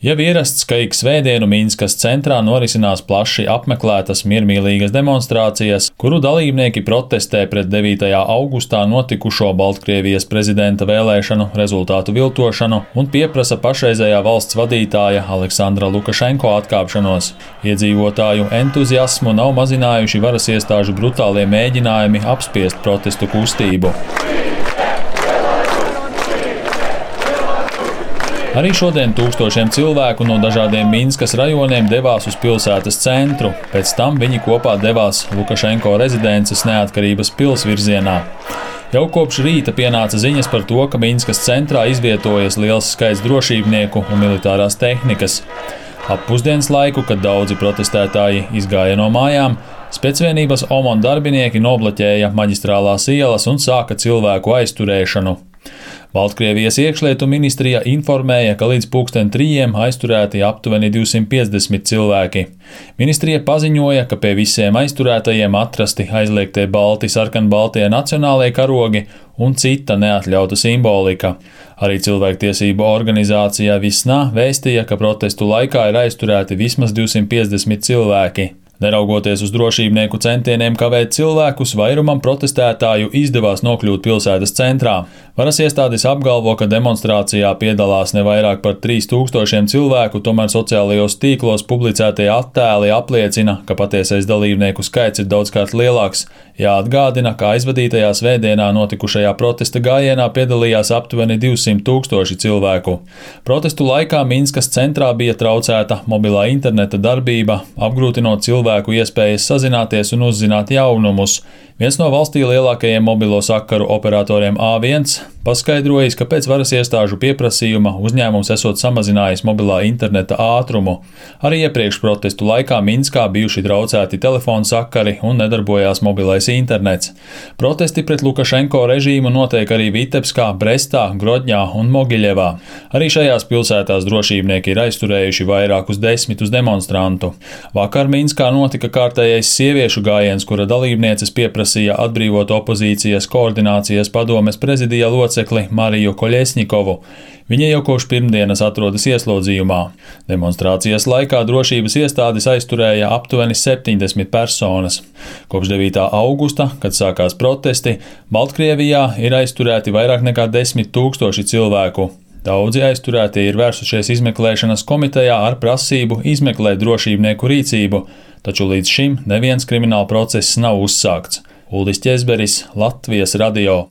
Jau ierasts, ka ik svētdienu Minskas centrā norisinās plaši apmeklētas miermīlīgas demonstrācijas, kuru dalībnieki protestē pret 9. augustā notikušo Baltkrievijas prezidenta vēlēšanu rezultātu viltošanu un pieprasa pašreizējā valsts vadītāja Aleksandra Lukašenko atkāpšanos. Iedzīvotāju entuziasmu nav mazinājuši varas iestāžu brutālie mēģinājumi apspiest protestu kustību. Arī šodien tūkstošiem cilvēku no dažādiem Minskas rajoniem devās uz pilsētas centru, pēc tam viņi kopā devās Lukašenko rezidences Neatkarības pils virzienā. Jau kopš rīta pienāca ziņas par to, ka Minskas centrā izvietojas liels skaits drošībnieku un militārās tehnikas. Ap pusdienas laiku, kad daudzi protestētāji izgāja no mājām, specvienības OMON darbinieki nobloķēja maģistrālās ielas un sāka cilvēku aizturēšanu. Baltkrievijas iekšlietu ministrija informēja, ka līdz 3:00 aizturēti aptuveni 250 cilvēki. Ministrija paziņoja, ka pie visiem aizturētajiem atrasti aizliegtie balti sarkanbaltie nacionālie karogi un cita neatļauta simbolika. Arī cilvēktiesību organizācija Visna vēstīja, ka protestu laikā ir aizturēti vismaz 250 cilvēki. Neraugoties uz drošībnieku centieniem kavēt cilvēkus, vairumam protestētāju izdevās nokļūt pilsētas centrā. Varas iestādes apgalvo, ka demonstrācijā piedalās ne vairāk par 3000 cilvēku, tomēr sociālajos tīklos publicētie attēli apliecina, ka patiesais dalībnieku skaits ir daudzkārt lielāks. Jāatgādina, ka aizvadītajā svētdienā notikušajā protesta gājienā piedalījās aptuveni 200 000 cilvēku. Protestu laikā Minskas centrā bija traucēta mobilā interneta darbība, apgrūtinot cilvēku iespējas sazināties un uzzināt jaunumus. Viens no valstī lielākajiem mobilo sakaru operatoriem A1 paskaidrojis, ka pēc varas iestāžu pieprasījuma uzņēmums esot samazinājis mobilā interneta ātrumu. Arī iepriekš protestu laikā Minskā bijuši traucēti telefonu sakari un nedarbojās mobilais internets. Protesti pret Lukašenko režīmu notiek arī Vitebskā, Brestā, Grodņā un Mogiļevā. Arī šajās pilsētās drošībnieki ir aizturējuši vairākus desmitus demonstrantu. Vakar Minskā notika kārtējais sieviešu gājiens, kura dalībnieces pieprasīja atbrīvot opozīcijas koordinācijas padomes prezidija locekli Mariju Koļesņikovu. Viņa jau kopš pirmdienas atrodas ieslodzījumā. Demonstrācijas laikā drošības iestādes aizturēja aptuveni 70 personas. Kopš 9. augusta, kad sākās protesti, Baltkrievijā ir aizturēti vairāk nekā 10 000 cilvēku. Daudzi aizturētie ir vērsušies izmeklēšanas komitejā ar prasību izmeklēt drošībnieku rīcību, taču līdz šim neviens krimināla process nav uzsākts. Uldis Ķezberis, Latvijas radio.